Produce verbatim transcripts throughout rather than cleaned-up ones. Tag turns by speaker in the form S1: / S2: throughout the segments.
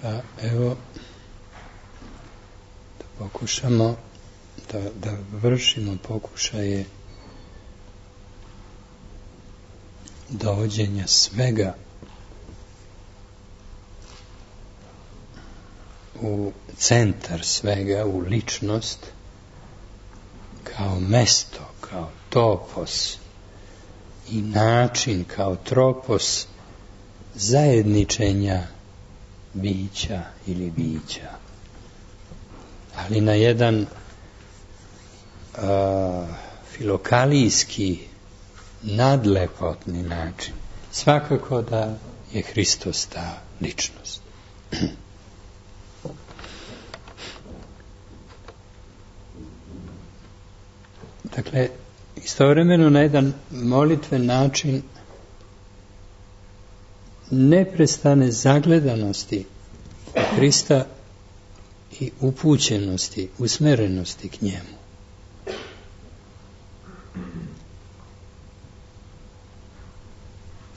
S1: Pa evo, da pokušamo da, da vršimo pokušaje dovođenja svega u centar svega, u ličnost, kao mesto, kao topos i način, kao tropos zajedničenja bića ili bića, ali na jedan a, filokalijski, nadlepotni način. Svakako da je Hristos ta ličnost. Dakle, istovremeno na jedan molitven način neprestane zagledanosti Hrista i upućenosti, usmerenosti k njemu.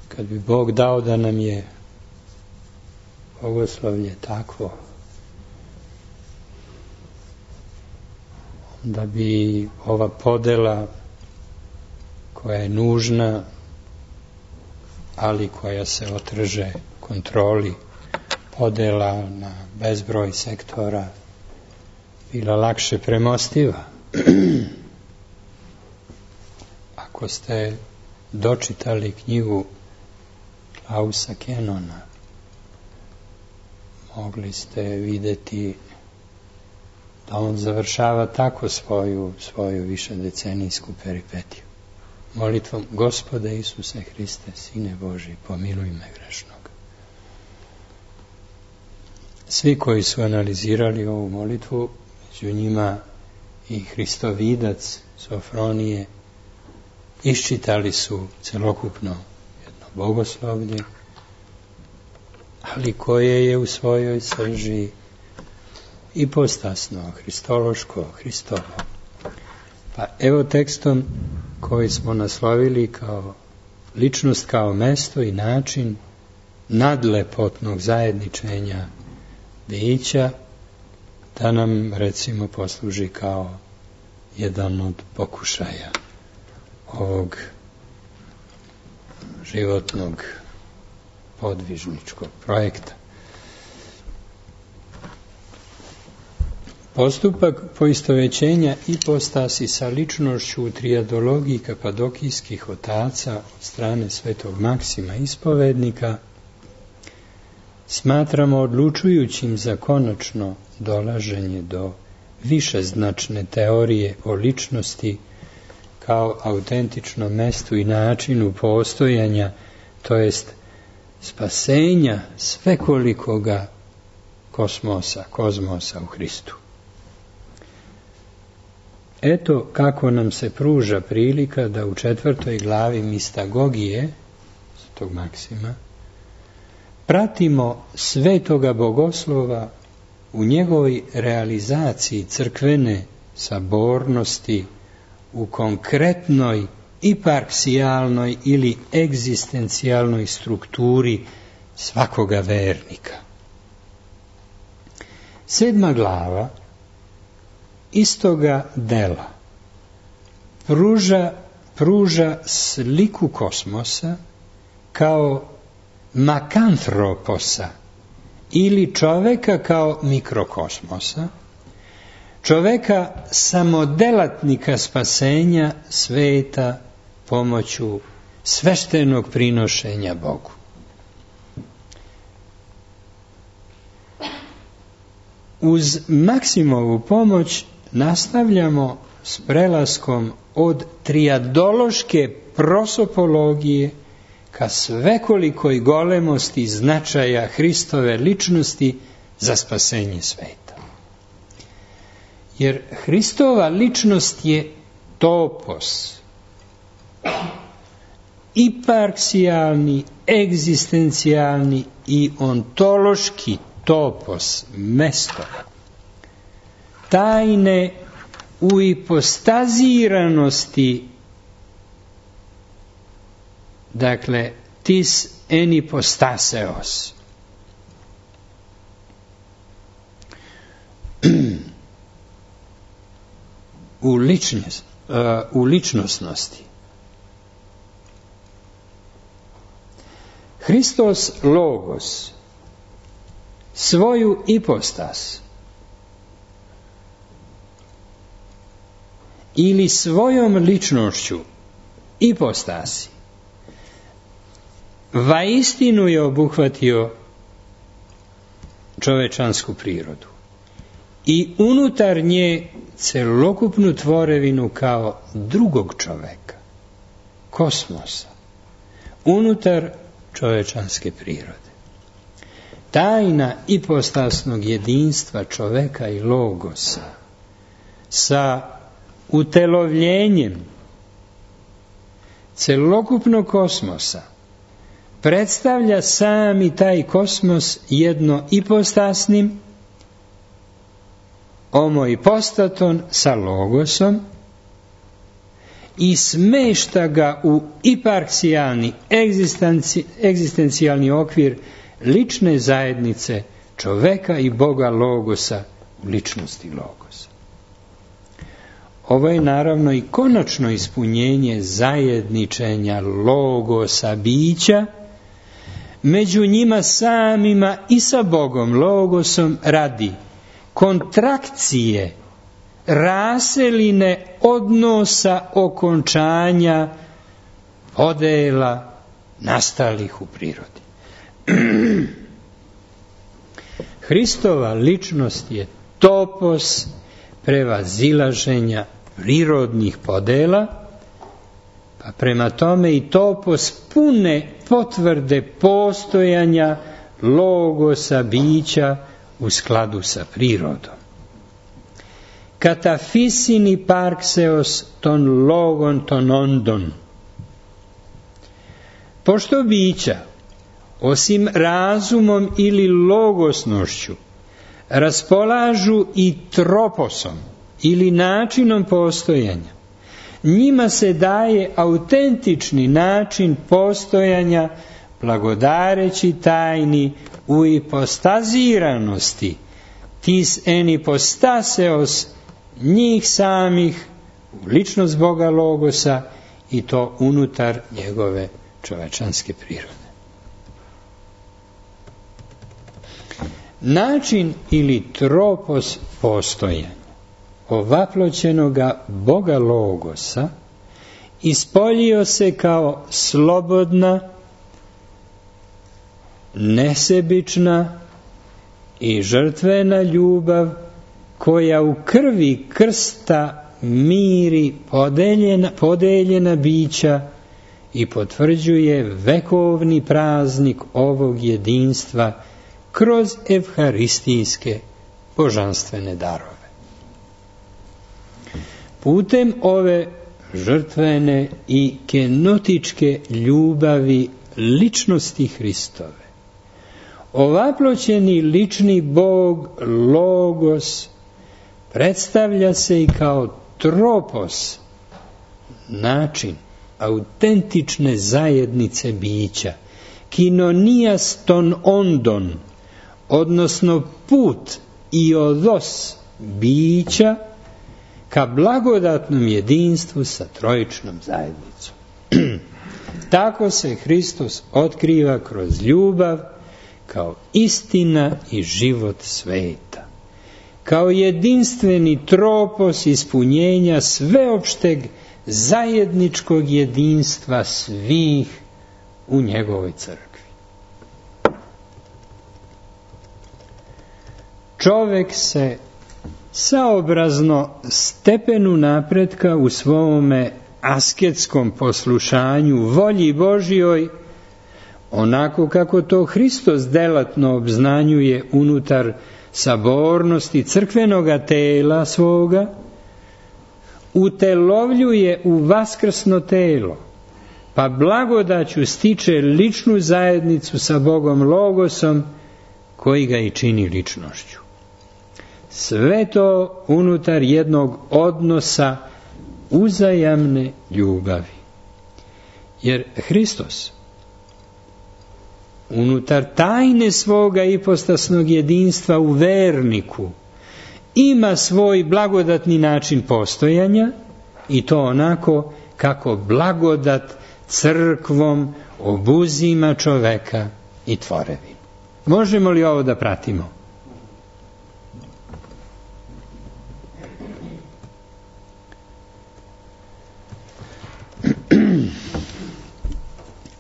S1: Kad bi Bog dao da nam je bogoslovlje takvo, da bi ova podela koja je nužna, ali koja se otrže kontroli, podela na bezbroj sektora, bila lakše premostiva. Ako ste dočitali knjigu Klausa Kenona, mogli ste vidjeti da on završava tako svoju, svoju višedecenijsku peripetiju. Molitvom: Gospode Isuse Hriste, Sine Božji, pomiluj me grešnog. Svi koji su analizirali ovu molitvu, među njima i Hristovidac Sofronije, iščitali su celokupno jedno bogoslovlje, ali koje je u svojoj srži ipostasno, hristološko, Hristovo. Pa evo tekstom koji smo naslovili kao ličnost, kao mesto i način nadlepotnog zajedničenja bića, da nam recimo posluži kao jedan od pokušaja ovog životnog podvižničkog projekta. Postupak poistovećenja ipostasi sa ličnošću u trijadologiji kapadokijskih otaca od strane svetog Maksima ispovednika smatramo odlučujućim za konačno dolaženje do višeznačne teorije o ličnosti kao autentičnom mestu i načinu postojanja, to jest spasenja svekolikoga kosmosa, kozmosa u Hristu. Eto kako nam se pruža prilika da u četvrtoj glavi Mistagogije, svetog Maksima, pratimo svetoga bogoslova u njegovoj realizaciji crkvene sabornosti u konkretnoj iparksijalnoj ili egzistencijalnoj strukturi svakoga vernika. Sedma glava istoga dela pruža, pruža sliku kosmosa kao makantroposa ili čoveka kao mikrokosmosa, čoveka samodelatnika spasenja sveta pomoću sveštenog prinošenja Bogu. Uz Maksimovu pomoć nastavljamo s prelaskom od trijadološke prosopologije ka svekolikoj golemosti značaja Hristove ličnosti za spasenje sveta. Jer Hristova ličnost je topos, iparksijalni, egzistencijalni i ontološki topos, mesto tajne u ipostaziranosti, dakle tis en ipostaseos, u, ličnost, uh, u ličnosnosti. Hristos Logos svoju ipostas ili svojom ličnošću ipostasi vaistinu je obuhvatio čovečansku prirodu i unutar nje celokupnu tvorevinu kao drugog čoveka, kosmosa, unutar čovečanske prirode. Tajna ipostasnog jedinstva čoveka i Logosa sa utelovljenjem celokupnog kosmosa predstavlja sami taj kosmos jedno ipostasnim, homoipostaton sa Logosom i smešta ga u iparksijalni egzistenci, egzistencijalni okvir lične zajednice čoveka i Boga Logosa u ličnosti Logosa. Ovo je naravno i konačno ispunjenje zajedničenja Logosa bića među njima samima i sa Bogom Logosom radi kontrakcije, raseline odnosa okončanja podela nastalih u prirodi. Hristova ličnost je topos prevazilaženja prirodnih podela, pa prema tome i topos pune potvrde postojanja Logosa bića u skladu sa prirodom. Katafisini parkseos ton logon ton ondon. Pošto bića, osim razumom ili logosnošću, raspolažu i troposom ili načinom postojanja, njima se daje autentični način postojanja blagodareći tajni u ipostaziranosti tis en ipostaseos njih samih u ličnost Boga Logosa i to unutar njegove čovečanske prirode. Način ili tropos postojanja ovaploćenoga Boga Logosa ispoljio se kao slobodna, nesebična i žrtvena ljubav koja u krvi krsta miri podeljena, podeljena bića i potvrđuje vekovni praznik ovog jedinstva kroz evharistijske božanstvene darove. Putem ove žrtvene i kenotičke ljubavi ličnosti Hristove, ovaploćeni lični Bog Logos predstavlja se i kao tropos, način autentične zajednice bića, kinonias ton ondon, odnosno put i odos bića ka blagodatnom jedinstvu sa trojičnom zajednicom. Tako se Hristos otkriva kroz ljubav kao istina i život sveta, kao jedinstveni tropos ispunjenja sveopšteg zajedničkog jedinstva svih u njegovoj crkvi. Čovek se saobrazno stepenu napretka u svome asketskom poslušanju volji Božjoj, onako kako to Hristos delatno obznanjuje unutar sabornosti crkvenoga tela svoga, utelovljuje u vaskrsno telo, pa blagodaću stiče ličnu zajednicu sa Bogom Logosom, koji ga i čini ličnošću. Sve to unutar jednog odnosa uzajamne ljubavi. Jer Hristos unutar tajne svoga ipostasnog jedinstva u verniku ima svoj blagodatni način postojanja i to onako kako blagodat crkvom obuzima čoveka i tvorevinu. Možemo li ovo da pratimo?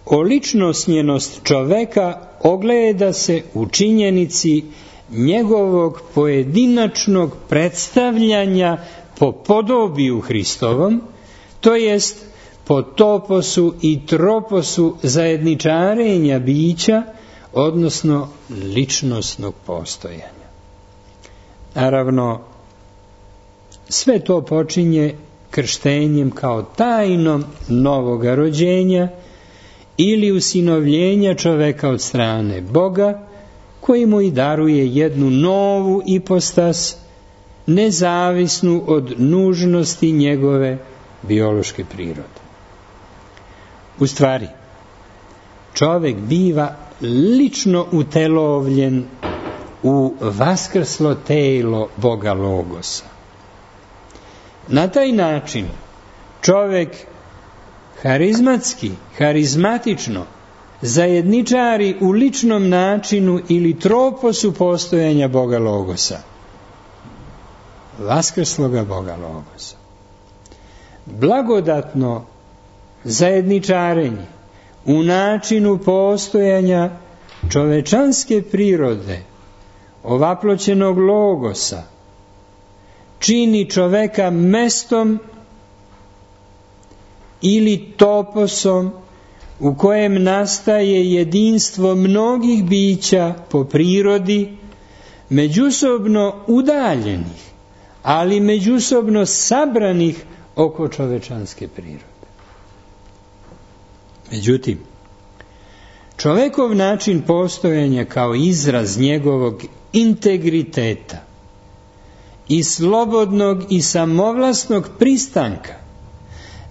S1: Oličnosnjenost čoveka ogleda se u činjenici njegovog pojedinačnog predstavljanja po podobiju Hristovom, to jest po toposu i troposu zajedničarenja bića, odnosno ličnosnog postojanja. Naravno, sve to počinje krštenjem kao tajnom novoga rođenja ili usinovljenja čoveka od strane Boga, koji mu i daruje jednu novu ipostas, nezavisnu od nužnosti njegove biološke prirode. U stvari, čovek biva lično utelovljen u vaskrslo telo Boga Logosa. Na taj način čovek harizmatski, harizmatično zajedničari u ličnom načinu ili troposu postojanja Boga Logosa, vaskrsloga Boga Logosa. Blagodatno zajedničarenje u načinu postojanja čovečanske prirode, ovaploćenog Logosa, čini čoveka mestom ili toposom u kojem nastaje jedinstvo mnogih bića po prirodi, međusobno udaljenih, ali međusobno sabranih oko čovečanske prirode. Međutim, čovekov način postojanja kao izraz njegovog integriteta i slobodnog i samovlasnog pristanka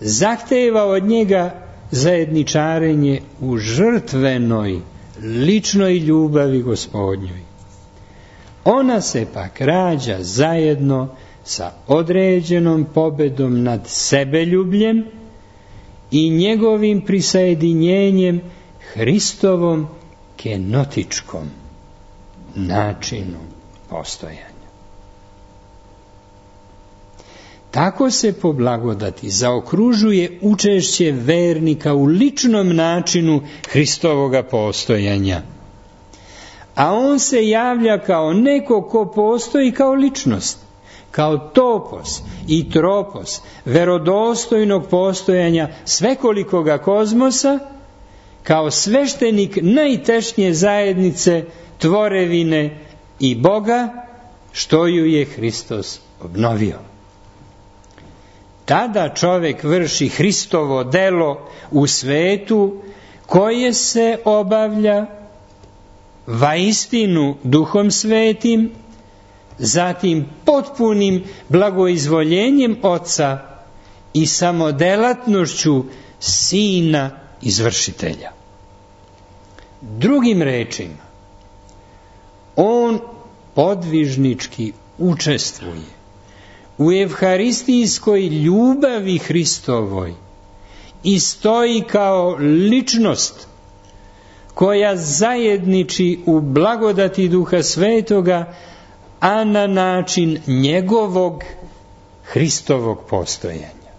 S1: zahteva od njega zajedničarenje u žrtvenoj, ličnoj ljubavi Gospodnjoj. Ona se pak rađa zajedno sa određenom pobedom nad sebeljubljem i njegovim prisajedinjenjem Hristovom kenotičkom načinu postojanja. Tako se po blagodati zaokružuje učešće vernika u ličnom načinu Hristovoga postojanja. A on se javlja kao neko ko postoji kao ličnost, kao topos i tropos verodostojnog postojanja svekolikoga kozmosa, kao sveštenik najtešnje zajednice tvorevine i Boga, što ju je Hristos obnovio. Tada čovek vrši Hristovo delo u svetu koje se obavlja vaistinu Duhom Svetim, zatim potpunim blagoizvoljenjem Oca i samodelatnošću Sina izvršitelja. Drugim rečima, on podvižnički učestvuje u evharistijskoj ljubavi Hristovoj i stoji kao ličnost koja zajedniči u blagodati Duha Svetoga, a na način njegovog Hristovog postojanja.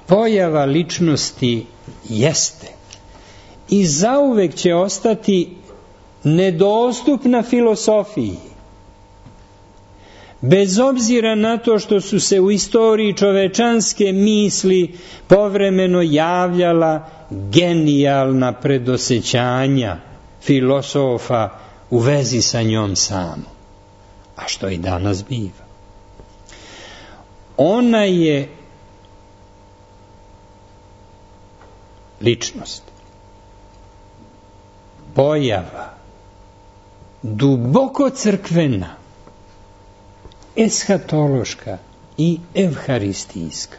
S1: Pojava ličnosti jeste i zauvek će ostati nedostupna filosofiji, bez obzira na to što su se u istoriji čovečanske misli povremeno javljala genijalna predosećanja filosofa u vezi sa njom samom, a što i danas biva. Ona je ličnost, pojava, duboko crkvena, eshatološka i evharistijska.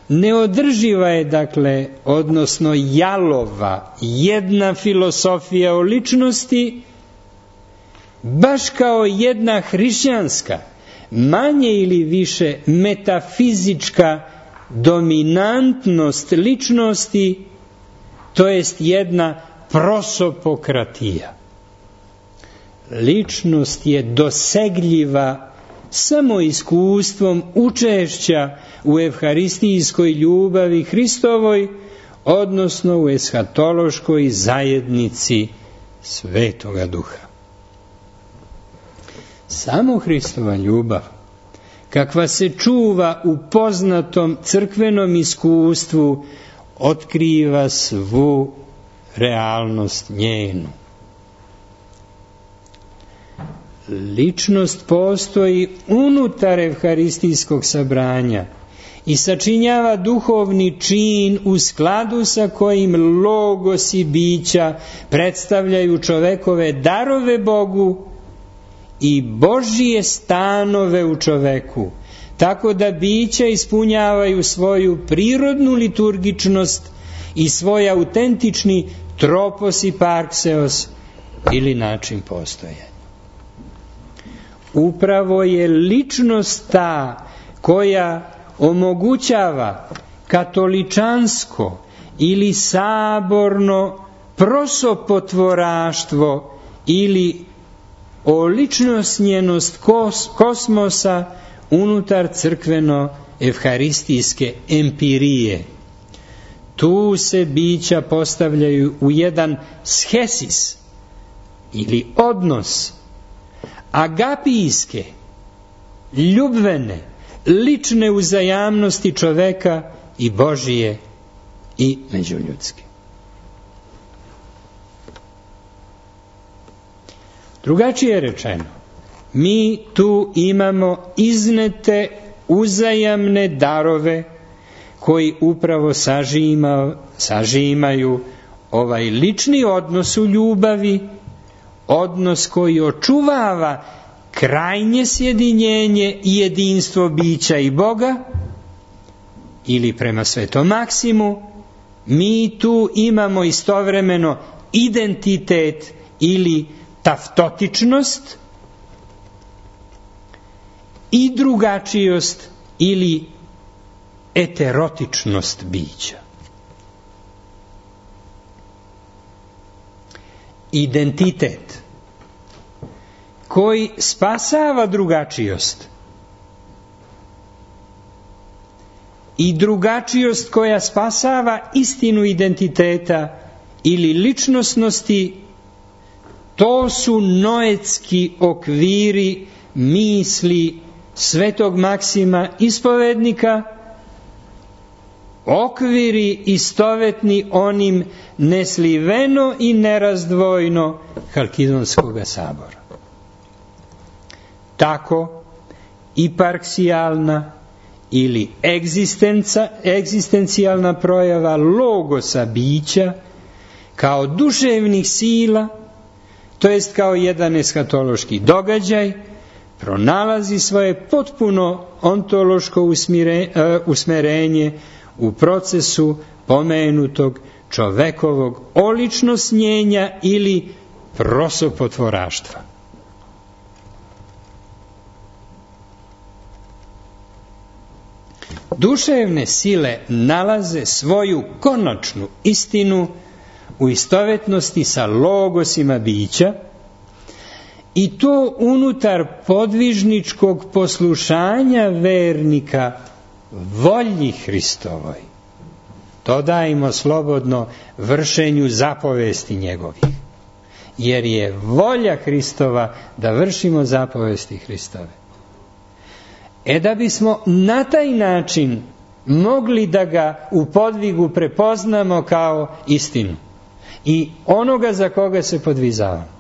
S1: Neodrživa je, dakle, odnosno jalova, jedna filosofija o ličnosti, baš kao jedna hrišćanska, manje ili više metafizička dominantnost ličnosti, to jest jedna prosopokratija. Ličnost je dosegljiva samo iskustvom učešća u evharistijskoj ljubavi Hristovoj, odnosno u eshatološkoj zajednici Svetoga Duha. Samo Hristova ljubav, kakva se čuva u poznatom crkvenom iskustvu, otkriva svu realnost njenu. Ličnost postoji unutar evharistijskog sabranja i sačinjava duhovni čin u skladu sa kojim logos i bića predstavljaju čovekove darove Bogu i Božije stanove u čoveku, tako da bića ispunjavaju svoju prirodnu liturgičnost i svoj autentični tropos i parkseos ili način postojanja. Upravo je ličnost ta koja omogućava katoličansko ili saborno prosopotvoraštvo ili oličnosnjenost kos, kosmosa unutar crkveno-evharistijske empirije. Tu se bića postavljaju u jedan schesis ili odnos agapijske, ljubvene, lične uzajamnosti čoveka i Božije i međuljudske. Drugačije rečeno, mi tu imamo iznete uzajamne darove koji upravo sažima, sažimaju ovaj lični odnos u ljubavi, odnos koji očuvava krajnje sjedinjenje i jedinstvo bića i Boga, ili prema Svetom Maksimu, mi tu imamo istovremeno identitet ili taftotičnost i drugačijost ili eterotičnost bića. Identitet koji spasava drugačijost i drugačijost koja spasava istinu identiteta ili ličnosnosti, to su noetski okviri misli Svetog Maksima ispovednika, okviri istovetni onim nesliveno i nerazdvojno Halkidonskog sabora. Tako i parksijalna ili egzistencijalna projava logosa bića kao duševnih sila, to jest kao jedan eshatološki događaj, pronalazi svoje potpuno ontološko usmerenje u procesu pomenutog čovekovog oličnosnjenja ili prosopotvoraštva. Duševne sile nalaze svoju konačnu istinu u istovetnosti sa logosima bića, i to unutar podvižničkog poslušanja vernika volji Hristovoj. Dodajmo slobodno vršenju zapovesti njegovih, jer je volja Hristova da vršimo zapovesti Hristove. E da bismo na taj način mogli da ga u podvigu prepoznamo kao istinu i onoga za koga se podvizavamo.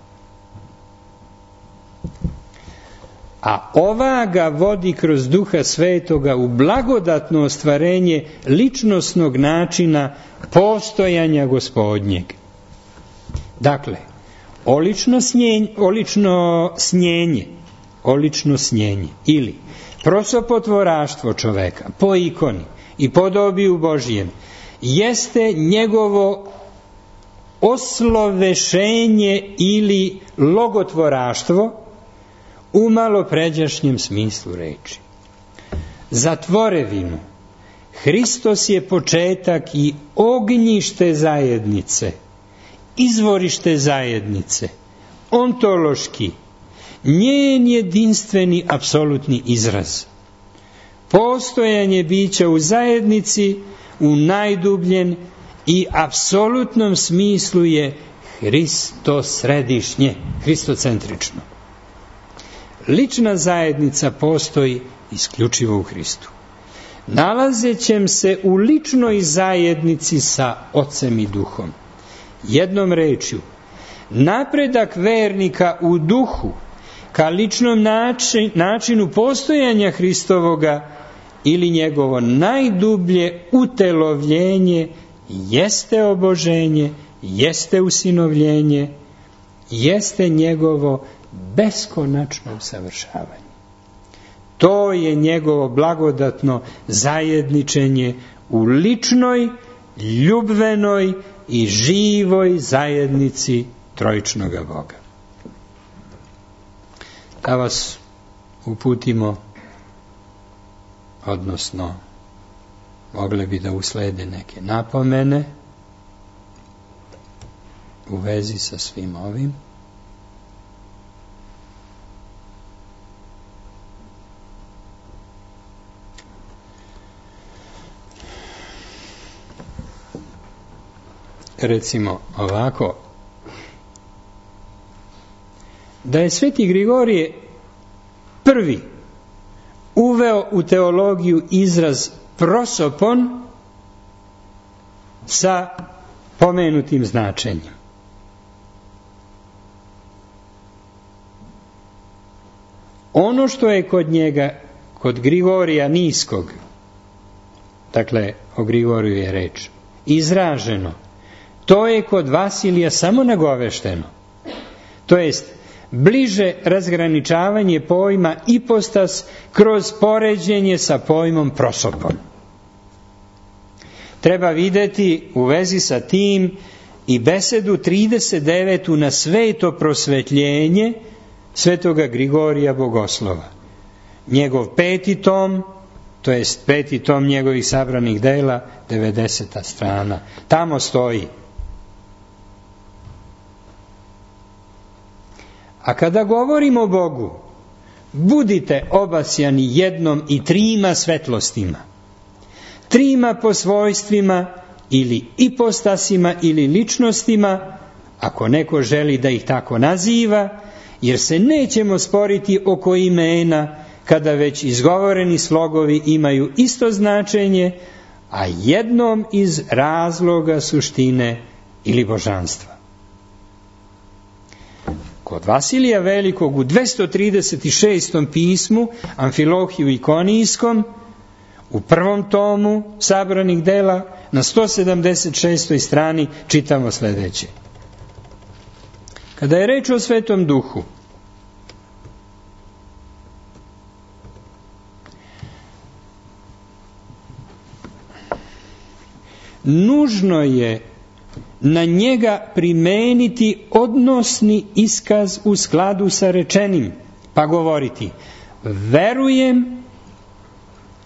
S1: A ova ga vodi kroz Duha Svetoga u blagodatno ostvarenje ličnosnog načina postojanja Gospodnjeg. Dakle, olično snjenje, olično snjenje, olično snjenje ili prosopotvoraštvo čoveka po ikoni i podobiju Božijem jeste njegovo oslovešenje ili logotvoraštvo u malopređašnjem smislu reči. Za tvorevinu Hristos je početak i ognjište zajednice, izvorište zajednice, ontološki, njen jedinstveni apsolutni izraz. Postojanje bića u zajednici u najdubljem i apsolutnom smislu je Hristosredišnje, hristocentrično. Lična zajednica postoji isključivo u Hristu. Nalazećem se u ličnoj zajednici sa Ocem i Duhom. Jednom rečju, napredak vernika u duhu ka ličnom način, načinu postojanja Hristovoga ili njegovo najdublje utelovljenje jeste oboženje, jeste usinovljenje, jeste njegovo beskonačno usavršavanje. To je njegovo blagodatno zajedničenje u ličnoj, ljubvenoj i živoj zajednici trojičnoga Boga. Da vas uputimo, odnosno mogle bi da uslede neke napomene u vezi sa svim ovim. Recimo ovako, da je Sveti Grigorije prvi uveo u teologiju izraz prosopon sa pomenutim značenjem. Ono što je kod njega, kod Grigorija Niskog, dakle o Grigoriju je reč, izraženo, to je kod Vasilija samo nagovešteno. To jest, bliže razgraničavanje pojma ipostas kroz poređenje sa pojmom prosopon. Treba videti u vezi sa tim i besedu trideset devetu na sveto prosvetljenje svetoga Grigorija Bogoslova. Njegov peti tom, to jest peti tom njegovih sabranih dela, devedeseta strana. Tamo stoji: a kada govorimo o Bogu, budite obasjani jednom i trima svetlostima, trima po svojstvima ili ipostasima ili ličnostima, ako neko želi da ih tako naziva, jer se nećemo sporiti oko imena kada već izgovoreni slogovi imaju isto značenje, a jednom iz razloga suštine ili božanstva. Kod Vasilija Velikog u dvesta trideset šestom pismu, Amfilohiju Ikonijskom, u prvom tomu sabranih dela, na sto sedamdeset šestoj strani čitamo sledeće. Kada je reč o Svetom Duhu, nužno je na njega primeniti odnosni iskaz u skladu sa rečenim, pa govoriti: verujem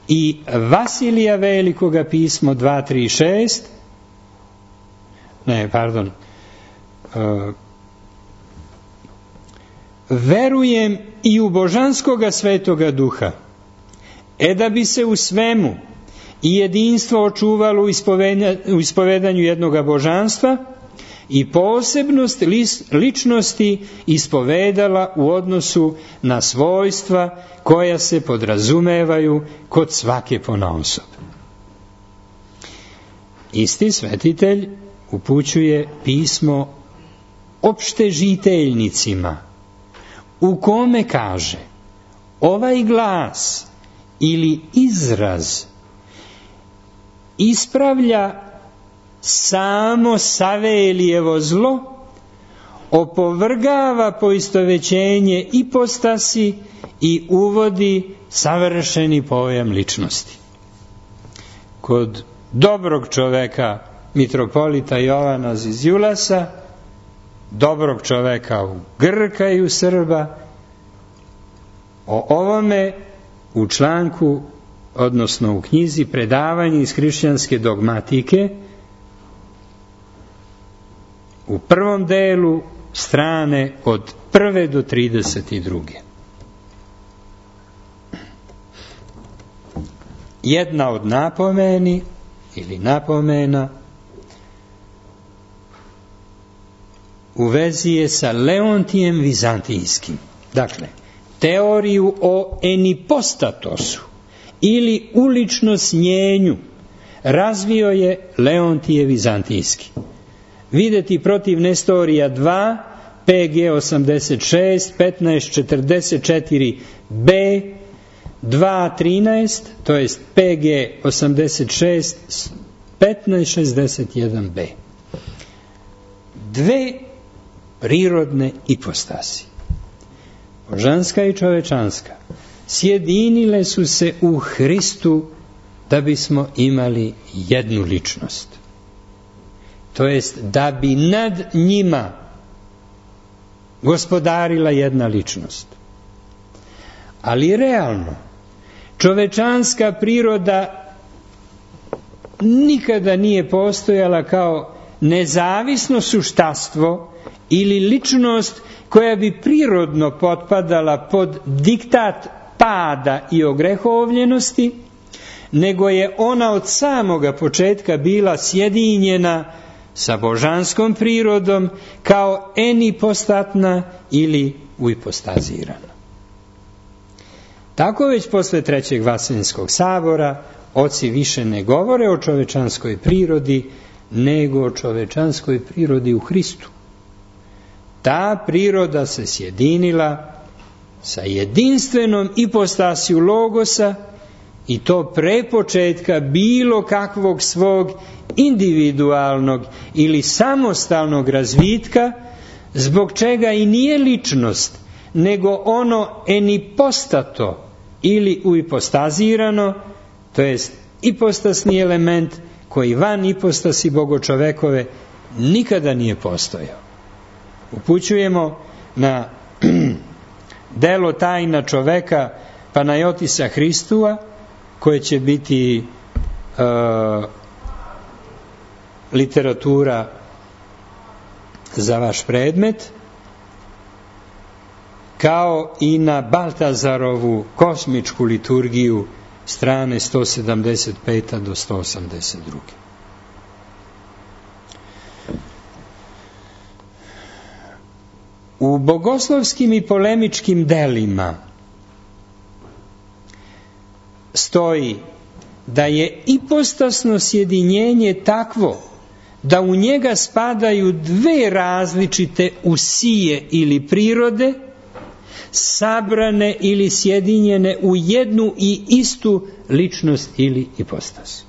S1: i Vasilija Velikoga pismo dva tri šest, ne, pardon, uh, verujem i u božanskoga Svetoga Duha, e da bi se u svemu i jedinstvo očuvalo u ispovedanju jednoga božanstva i posebnost ličnosti ispovedala u odnosu na svojstva koja se podrazumevaju kod svake ponaosob. Isti svetitelj upućuje pismo opštežiteljnicima, u kome kaže: ovaj glas ili izraz ispravlja samo Savelijevo zlo, opovrgava poistovećenje ipostasi i uvodi savršeni pojam ličnosti. Kod dobrog čoveka, mitropolita Jovana Ziziulasa, dobrog čoveka u Grka i u Srba, o ovome u članku, odnosno u knjizi Predavanje iz hrišćanske dogmatike, u prvom delu strane od prve do trideset druge. Jedna od napomeni ili napomena u vezi je sa Leontijem Vizantijskim. Dakle, teoriju o enipostatosu ili uličnosnjenju razvio je Leontije Vizantijski. Videti protiv Nestorija dva, P G osamdeset šest, petnaest četrdeset četiri B, dva trinaest, to jest P G osamdeset šest, petnaest šezdeset jedan B. Dve prirodne ipostasi, božanska i čovečanska, sjedinile su se u Hristu da bismo imali jednu ličnost. To jest da bi nad njima gospodarila jedna ličnost. Ali realno, čovečanska priroda nikada nije postojala kao nezavisno suštastvo ili ličnost koja bi prirodno potpadala pod diktat pada i ogrehovljenosti, nego je ona od samoga početka bila sjedinjena sa božanskom prirodom kao enipostatna ili uipostazirana. Tako već posle Trećeg Vaseljenskog sabora oci više ne govore o čovečanskoj prirodi, nego o čovečanskoj prirodi u Hristu. Ta priroda se sjedinila sa jedinstvenom ipostasiju Logosa i to pre početka bilo kakvog svog individualnog ili samostalnog razvitka, zbog čega i nije ličnost, nego ono enipostato ili uipostazirano, to jest ipostasni element koji van ipostasi bogočovekove nikada nije postojao. Upućujemo na delo Tajna čoveka Panajotisa Hristua, koje će biti uh, literatura za vaš predmet, kao i na Baltazarovu kosmičku liturgiju strane sto sedamdeset pet do sto osamdeset dva. U bogoslovskim i polemičkim delima stoji da je ipostasno sjedinjenje takvo da u njega spadaju dve različite usije ili prirode, sabrane ili sjedinjene u jednu i istu ličnost ili ipostas.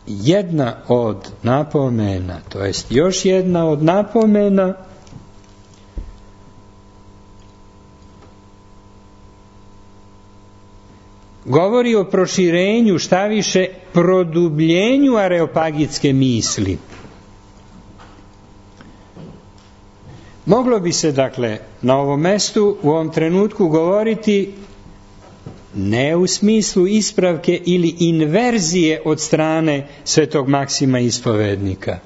S1: Jedna od napomena, to jest još jedna od napomena, govori o proširenju, šta više produbljenju areopagitske misli. Moglo bi se, dakle, na ovom mestu u ovom trenutku govoriti ne u smislu ispravke ili inverzije od strane svetog Maksima ispovednika,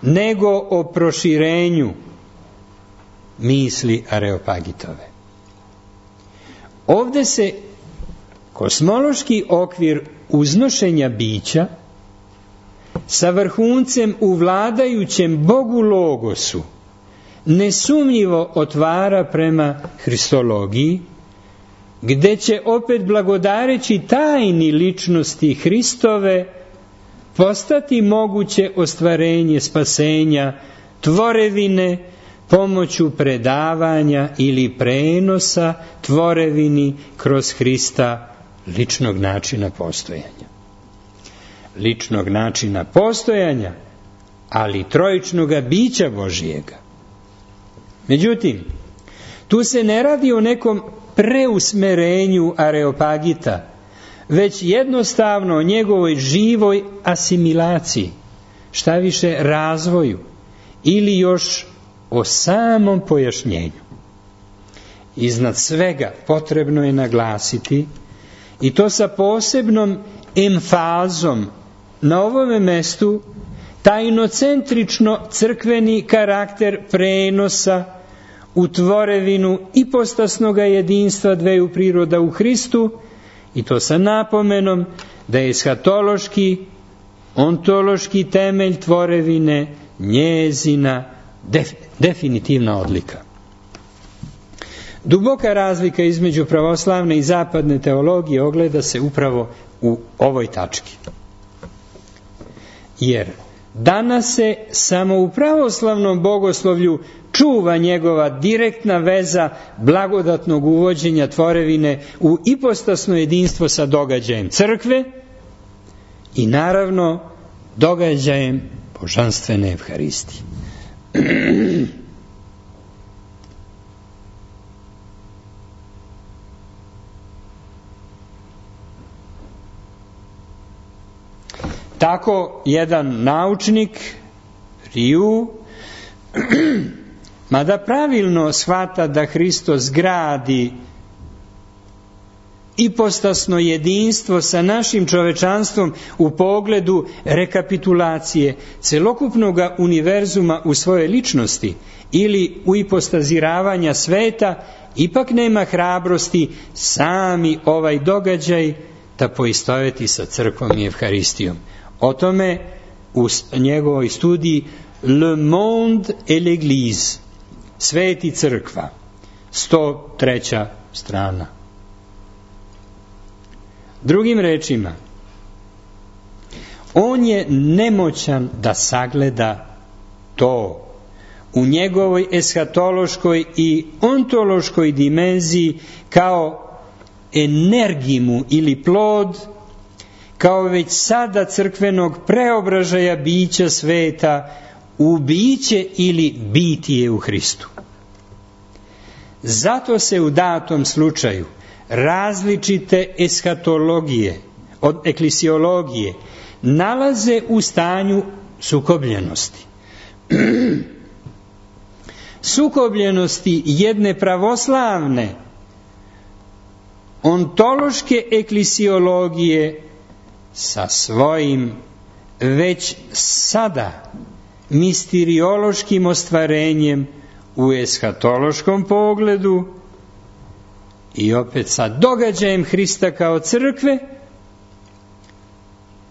S1: nego o proširenju misli areopagitove. Ovde se kosmološki okvir uznošenja bića sa vrhuncem u vladajućem Bogu Logosu nesumnjivo otvara prema Hristologiji, gde će opet blagodareći tajni ličnosti Hristove postati moguće ostvarenje spasenja tvorevine pomoću predavanja ili prenosa tvorevini kroz Hrista ličnog načina postojanja. ličnog načina postojanja, ali trojičnoga bića Božijega. Međutim, tu se ne radi o nekom preusmerenju Areopagita, već jednostavno o njegovoj živoj asimilaciji, šta više razvoju, ili još o samom pojašnjenju. Iznad svega potrebno je naglasiti, i to sa posebnom emfazom na ovome mestu, tajnocentrično crkveni karakter prenosa u tvorevinu ipostasnoga jedinstva dveju priroda u Hristu, i to sa napomenom da je eshatološki, ontološki temelj tvorevine njezina def, definitivna odlika. Duboka razlika između pravoslavne i zapadne teologije ogleda se upravo u ovoj tački. Jer danas se samo u pravoslavnom bogoslovlju čuva njegova direktna veza blagodatnog uvođenja tvorevine u ipostasno jedinstvo sa događajem crkve i naravno događajem božanstvene Evharistije. Tako jedan naučnik, Riu, mada pravilno shvata da Hristos gradi ipostasno jedinstvo sa našim čovečanstvom u pogledu rekapitulacije celokupnog univerzuma u svojoj ličnosti ili u ipostaziravanja sveta, ipak nema hrabrosti sami ovaj događaj da poistoveti sa crkvom i Evharistijom. O tome u njegovoj studiji Le monde et l'Église, Svet i crkva, sto treća strana. Drugim rečima, on je nemoćan da sagleda to u njegovoj eshatološkoj i ontološkoj dimenziji kao energimu ili plod, kao već sada crkvenog preobražaja bića sveta u biće ili bitije u Hristu. Zato se u datom slučaju različite eshatologije od eklesiologije nalaze u stanju sukobljenosti. Sukobljenosti jedne pravoslavne ontološke eklesiologije sa svojim već sada misteriološkim ostvarenjem u eshatološkom pogledu i opet sa događajem Hrista kao crkve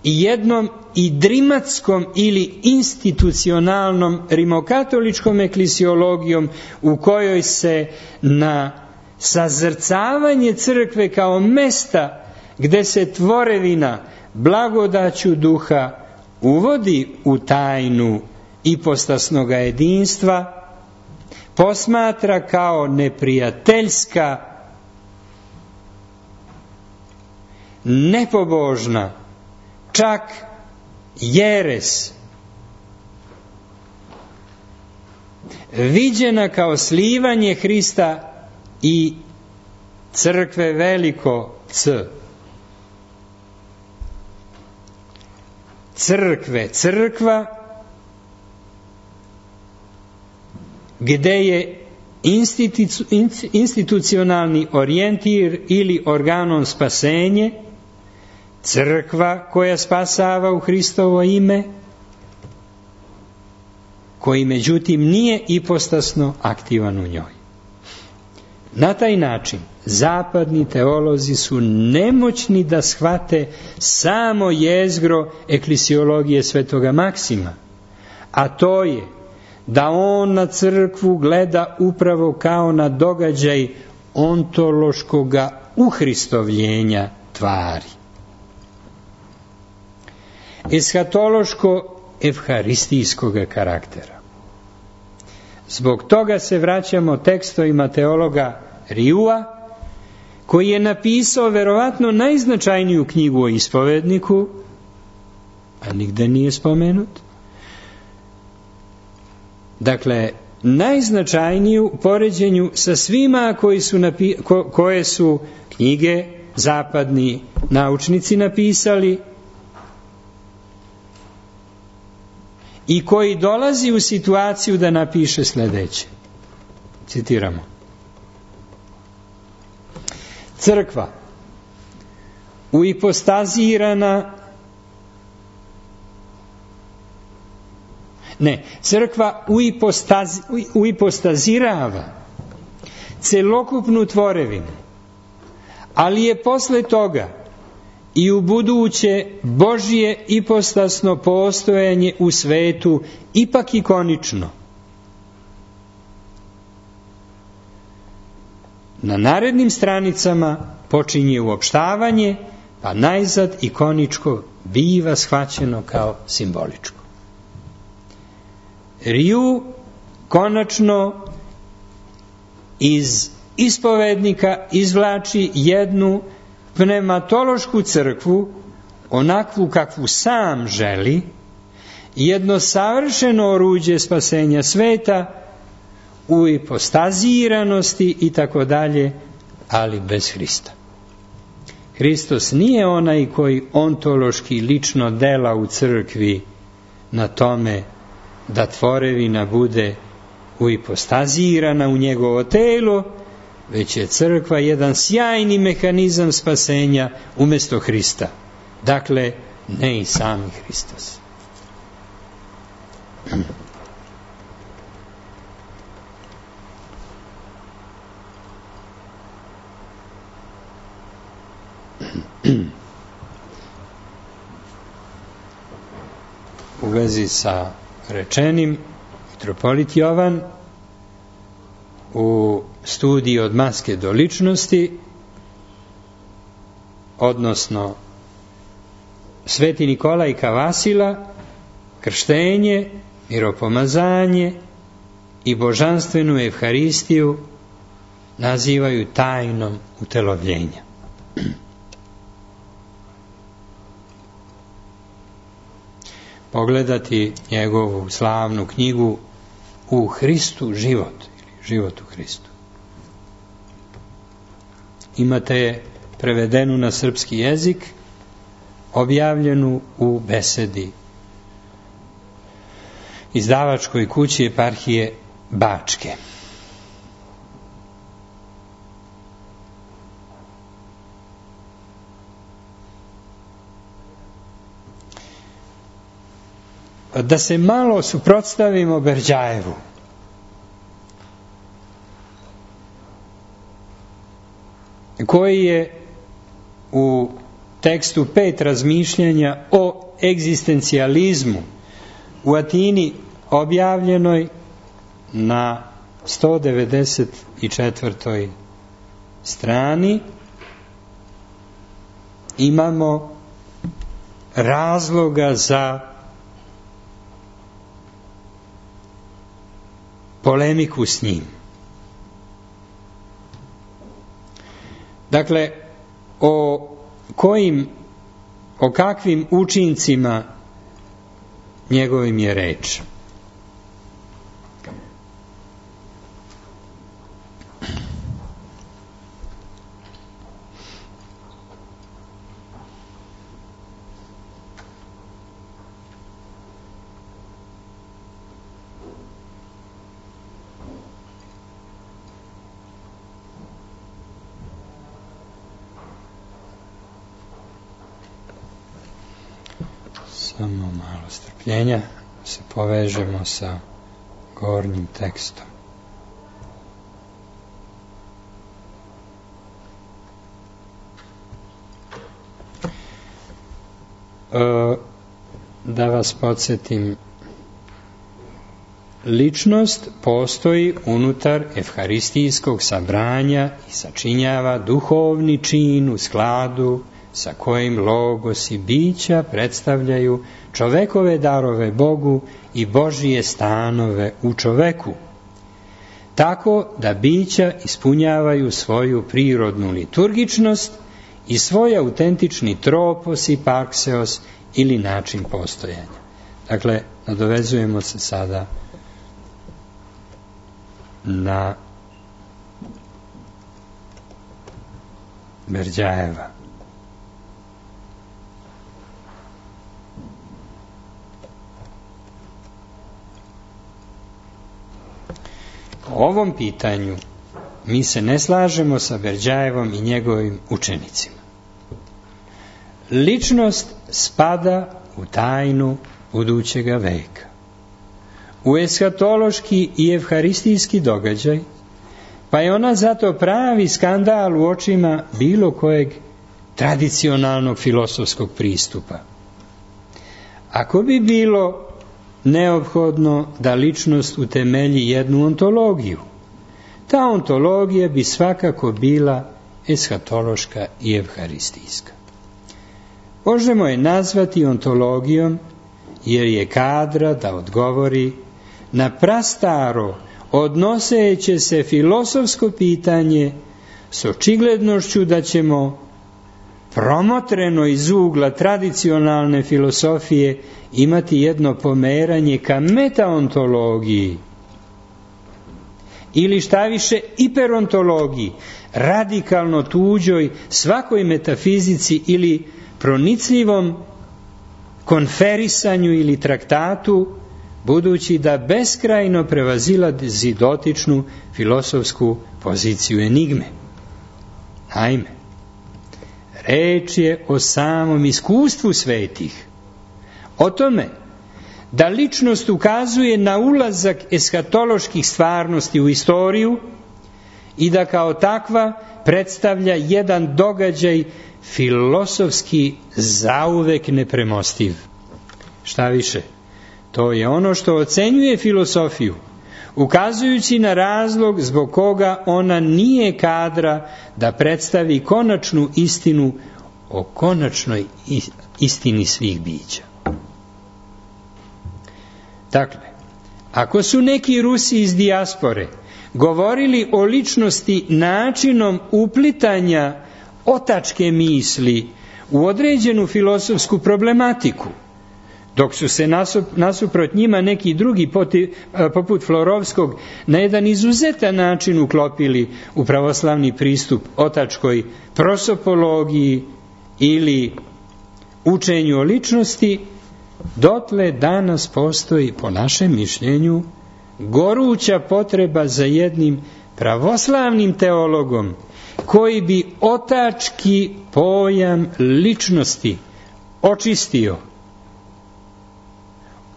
S1: i jednom idrimatskom ili institucionalnom rimokatoličkom eklesiologijom u kojoj se na sazrcavanje crkve kao mesta gde se tvorevina blagodaću duha uvodi u tajnu ipostasnoga jedinstva, posmatra kao neprijateljska, nepobožna, čak jeres, viđena kao slivanje Hrista i crkve veliko C. Crkve, crkva, gde je institu, institucionalni orijentir ili organom spasenje, crkva koja spasava u Hristovo ime, koji međutim nije ipostasno aktivan u njoj. Na taj način zapadni teolozi su nemoćni da shvate samo jezgro eklesiologije svetoga Maksima, a to je da on na crkvu gleda upravo kao na događaj ontološkoga uhristovljenja tvari. Eshatološko-evharistijskoga karaktera. Zbog toga se vraćamo tekstovima teologa Riua, koji je napisao verovatno najznačajniju knjigu o ispovedniku, a nigde nije spomenut. Dakle, najznačajniju u poređenju sa svima koji su napi- ko- koje su knjige zapadni naučnici napisali i koji dolazi u situaciju da napiše sljedeće. Citiramo. Crkva uipostazirana ne, crkva uipostazi, uipostazirava celokupnu tvorevinu, ali je posle toga i u buduće Božje ipostasno postojanje u svetu ipak ikonično. Na narednim stranicama počinje uopštavanje, pa najzad ikoničko biva shvaćeno kao simboličko. Riu konačno iz ispovednika izvlači jednu pneumatološku crkvu, onakvu kakvu sam želi, jedno savršeno oruđe spasenja sveta, u ipostaziranosti i tako dalje, ali bez Hrista. Hristos nije onaj koji ontološki lično dela u crkvi na tome da tvorevina bude uipostazirana u njegovo telo, već je crkva jedan sjajni mehanizam spasenja umjesto Hrista. Dakle, ne i sami Hristos. U vezi sa rečenim, mitropolit Jovan u studiji od maske do ličnosti, odnosno Sveti Nikolaj Kavasila, krštenje, miropomazanje i božanstvenu Evharistiju nazivaju tajnom utelovljenja. Pogledati njegovu slavnu knjigu U Hristu život, ili Život u Hristu. Imate je prevedenu na srpski jezik, objavljenu u besedi izdavačkoj kući Eparhije Bačke. Da se malo suprotstavimo Berđajevu. Koji je u tekstu pet razmišljanja o egzistencijalizmu u Atini objavljenoj na sto devedeset četvrtoj strani imamo razloga za polemiku s njim. Dakle, o kojim, o kakvim učincima njegovim je reč? Samo malo strpljenja, se povežemo sa gornjim tekstom. E, da vas podsjetim, ličnost postoji unutar evharistijskog sabranja i sačinjava duhovni čin u skladu sa kojim logos i bića predstavljaju čovekove darove Bogu i Božije stanove u čoveku, tako da bića ispunjavaju svoju prirodnu liturgičnost i svoj autentični tropos i pakseos ili način postojanja. Dakle, nadovezujemo se sada na Berdjajeva. Po ovom pitanju mi se ne slažemo sa Berdjajevom i njegovim učenicima. Ličnost spada u tajnu budućega veka. U eshatološki i evharistijski događaj, pa je ona zato pravi skandal u očima bilo kojeg tradicionalnog filosofskog pristupa. Ako bi bilo neophodno da ličnost utemelji jednu ontologiju, ta ontologija bi svakako bila eshatološka i evharistijska. Možemo je nazvati ontologijom jer je kadra da odgovori na prastaro odnoseće se filosofsko pitanje s očiglednošću da ćemo promotreno iz ugla tradicionalne filosofije imati jedno pomeranje ka metaontologiji ili šta više hiperontologiji, radikalno tuđoj svakoj metafizici ili pronicljivom konferisanju ili traktatu, budući da beskrajno prevazilazi dotičnu filosofsku poziciju enigme. Naime, reč je o samom iskustvu svetih, o tome da ličnost ukazuje na ulazak eshatoloških stvarnosti u istoriju i da kao takva predstavlja jedan događaj filosofski zauvek nepremostiv. Šta više, to je ono što ocenjuje filosofiju, ukazujući na razlog zbog koga ona nije kadra da predstavi konačnu istinu o konačnoj istini svih bića. Dakle, ako su neki Rusi iz dijaspore govorili o ličnosti načinom uplitanja otačke misli u određenu filosofsku problematiku, dok su se nasuprot njima neki drugi poti, poput Florovskog na jedan izuzetan način uklopili u pravoslavni pristup otačkoj prosopologiji ili učenju o ličnosti, dotle danas postoji, po našem mišljenju, goruća potreba za jednim pravoslavnim teologom koji bi otački pojam ličnosti očistio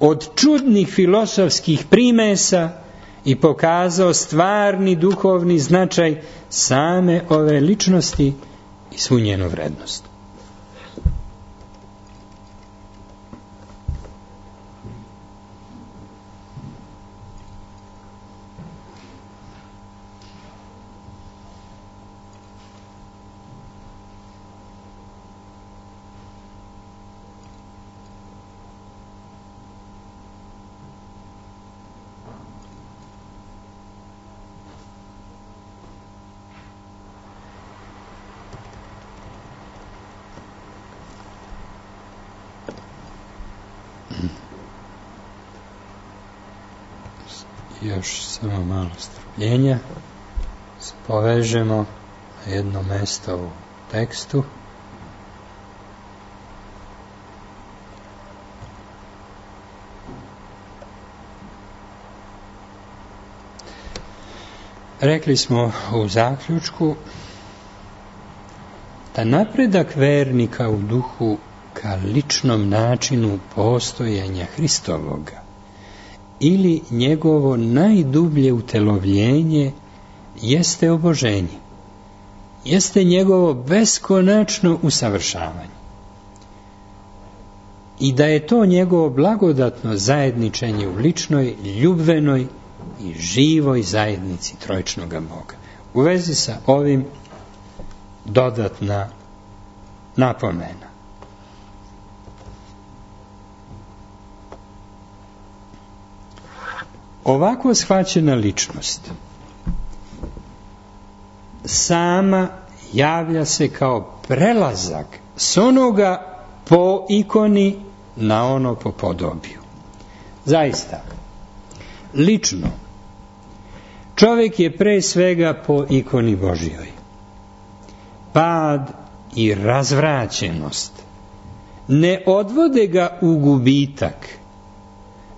S1: od čudnih filosofskih primesa i pokazao stvarni duhovni značaj same ove ličnosti i svu njenu vrednost. Još samo malo strpljenja, povežemo na jedno mesto u tekstu. Rekli smo u zaključku da napredak vernika u duhu ka ličnom načinu postojanja Hristovoga ili njegovo najdublje utelovljenje jeste oboženje, jeste njegovo beskonačno usavršavanje. I da je to njegovo blagodatno zajedničenje u ličnoj, ljubvenoj i živoj zajednici trojičnoga Boga. U vezi sa ovim dodatna napomena. Ovako shvaćena ličnost sama javlja se kao prelazak s onoga po ikoni na ono po podobiju. Zaista, lično, čovjek je pre svega po ikoni Božjoj. Pad i razvraćenost ne odvode ga u gubitak,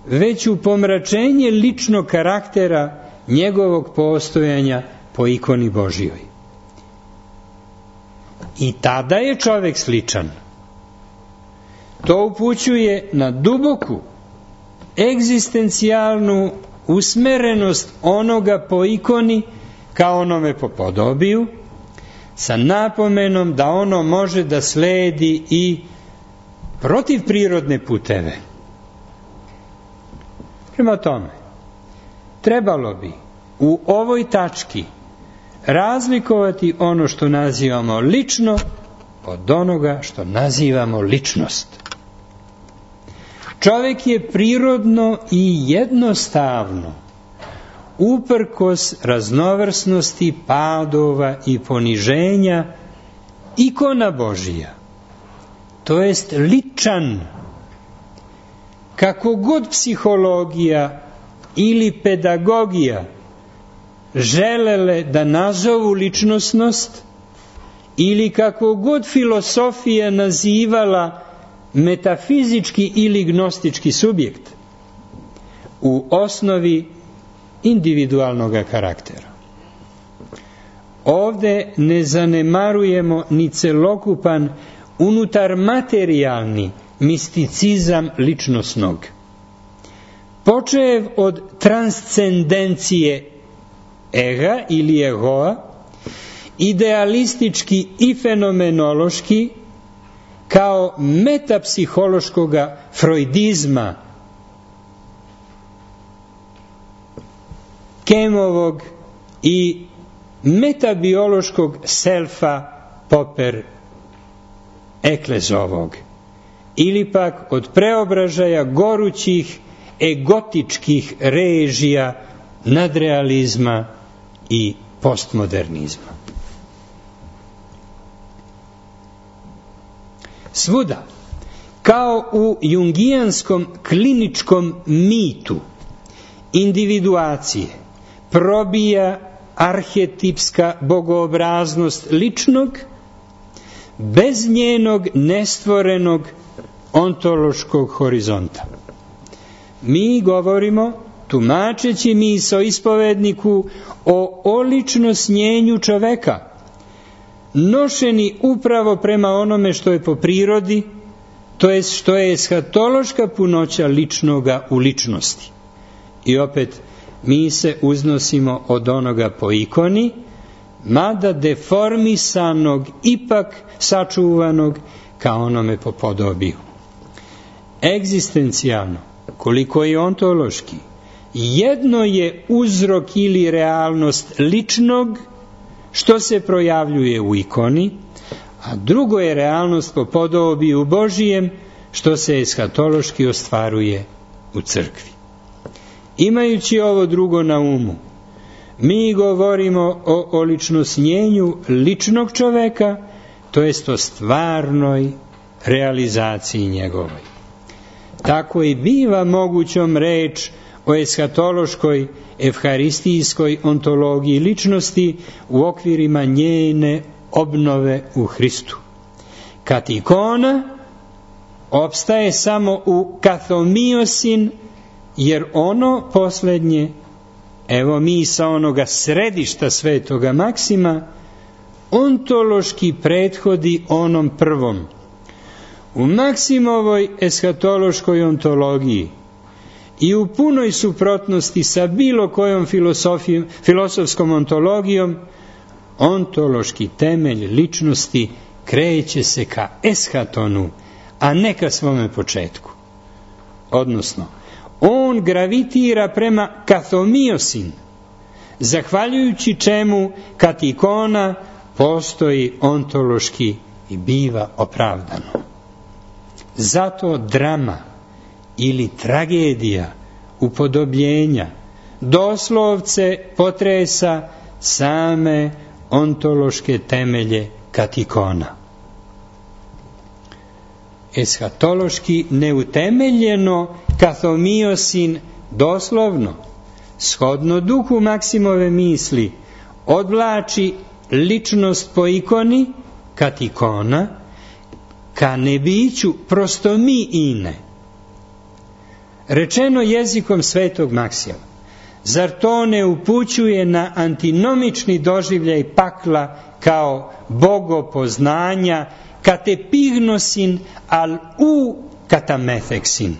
S1: već u pomračenje ličnog karaktera njegovog postojanja po ikoni Božjoj. I tada je čovjek sličan. To upućuje na duboku, egzistencijalnu usmerenost onoga po ikoni kao onome po podobiju, sa napomenom da ono može da sledi i protiv prirodne puteve. Prema tome, trebalo bi u ovoj tački razlikovati ono što nazivamo lično od onoga što nazivamo ličnost. Čovjek je prirodno i jednostavno, uprkos raznovrsnosti padova i poniženja, ikona Božija, to jest ličan. Kako god psihologija ili pedagogija želele da nazovu ličnosnost, ili kako god filosofija nazivala metafizički ili gnostički subjekt, u osnovi individualnog karaktera. Ovde ne zanemarujemo ni celokupan unutar materijalni misticizam ličnosnog. Počev od transcendencije ega ili egoa, idealistički i fenomenološki, kao metapsihološkog freudizma, Kemovog i metabiološkog selfa Popper Eklezovog, ili pak od preobražaja gorućih egotičkih režija nadrealizma i postmodernizma. Svuda, kao u jungijanskom kliničkom mitu individuacije, probija arhetipska bogoobraznost ličnog bez njenog nestvorenog ontološkog horizonta. Mi govorimo, tumačeći misao ispovedniku, o oličnosnjenju čoveka, nošeni upravo prema onome što je po prirodi, to jest što je eshatološka punoća ličnoga u ličnosti. I opet, mi se uznosimo od onoga po ikoni, mada deformisanog, ipak sačuvanog ka onome po podobiju. Egzistencijalno, koliko i ontološki, jedno je uzrok ili realnost ličnog što se projavljuje u ikoni, a drugo je realnost po podobiju Božijem što se eshatološki ostvaruje u crkvi. Imajući ovo drugo na umu, mi govorimo o oličnosnjenju ličnog čoveka, to jest o stvarnoj realizaciji njegovoj. Tako i biva mogućom reč o eshatološkoj, evharistijskoj ontologiji ličnosti u okvirima njene obnove u Hristu. Kad ikona opstaje samo u kathomiosin, jer ono posljednje, evo mi sa onoga središta svetoga Maksima, ontološki prethodi onom prvom. U Maksimovoj eshatološkoj ontologiji i u punoj suprotnosti sa bilo kojom filosofskom ontologijom, ontološki temelj ličnosti kreće se ka eshatonu, a ne ka svome početku. Odnosno, on gravitira prema kathomiosin, zahvaljujući čemu katikona postoji ontološki i biva opravdano. Zato drama ili tragedija upodobljenja doslovce potresa same ontološke temelje katikona. eshatološki neutemeljeno kathomiosin doslovno, shodno duhu Maksimove misli, odvlači ličnost po ikoni, kat ikona, ka nebiću prosto mi ine. Rečeno jezikom svetog Maksima, zar to ne upućuje na antinomični doživljaj pakla kao bogopoznanja, katepignosin al u katamefeksin,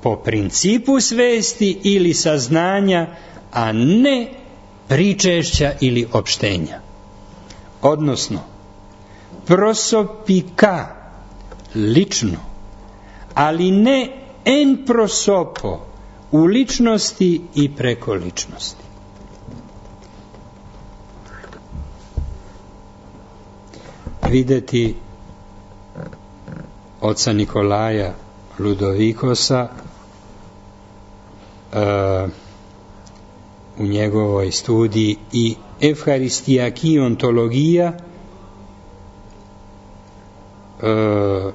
S1: po principu svesti ili saznanja, a ne pričešća ili opštenja. Odnosno, prosopika, lično, ali ne en prosopo, u ličnosti i preko ličnosti. Videti oca Nikolaja Ludovikosa uh, u njegovoj studiji i Evharistijaki ontologija, uh,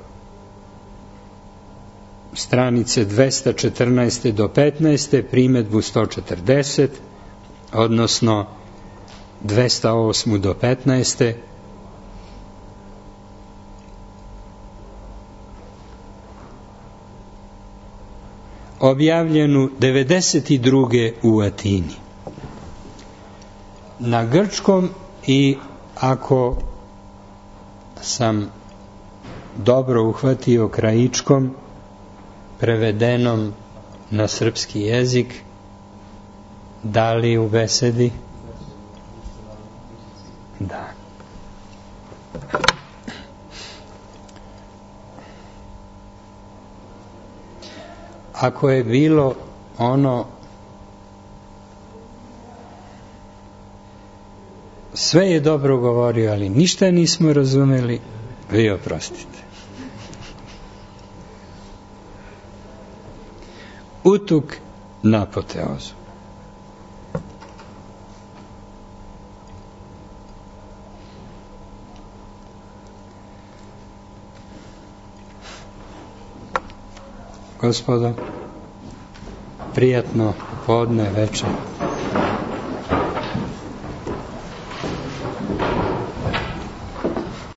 S1: stranice dvesta četrnaest do petnaest, primedbu sto četrdeset, odnosno dvesta osam do petnaest, objavljenu devedeset druge u Atini. Na grčkom i, ako sam dobro uhvatio, krajičkom, prevedenom na srpski jezik. Da li u besedi? Da. Ako je bilo ono sve je dobro govorio, ali ništa nismo razumeli, vi oprostite. Utuk na apoteozu. Gospodo, prijatno podne, večer.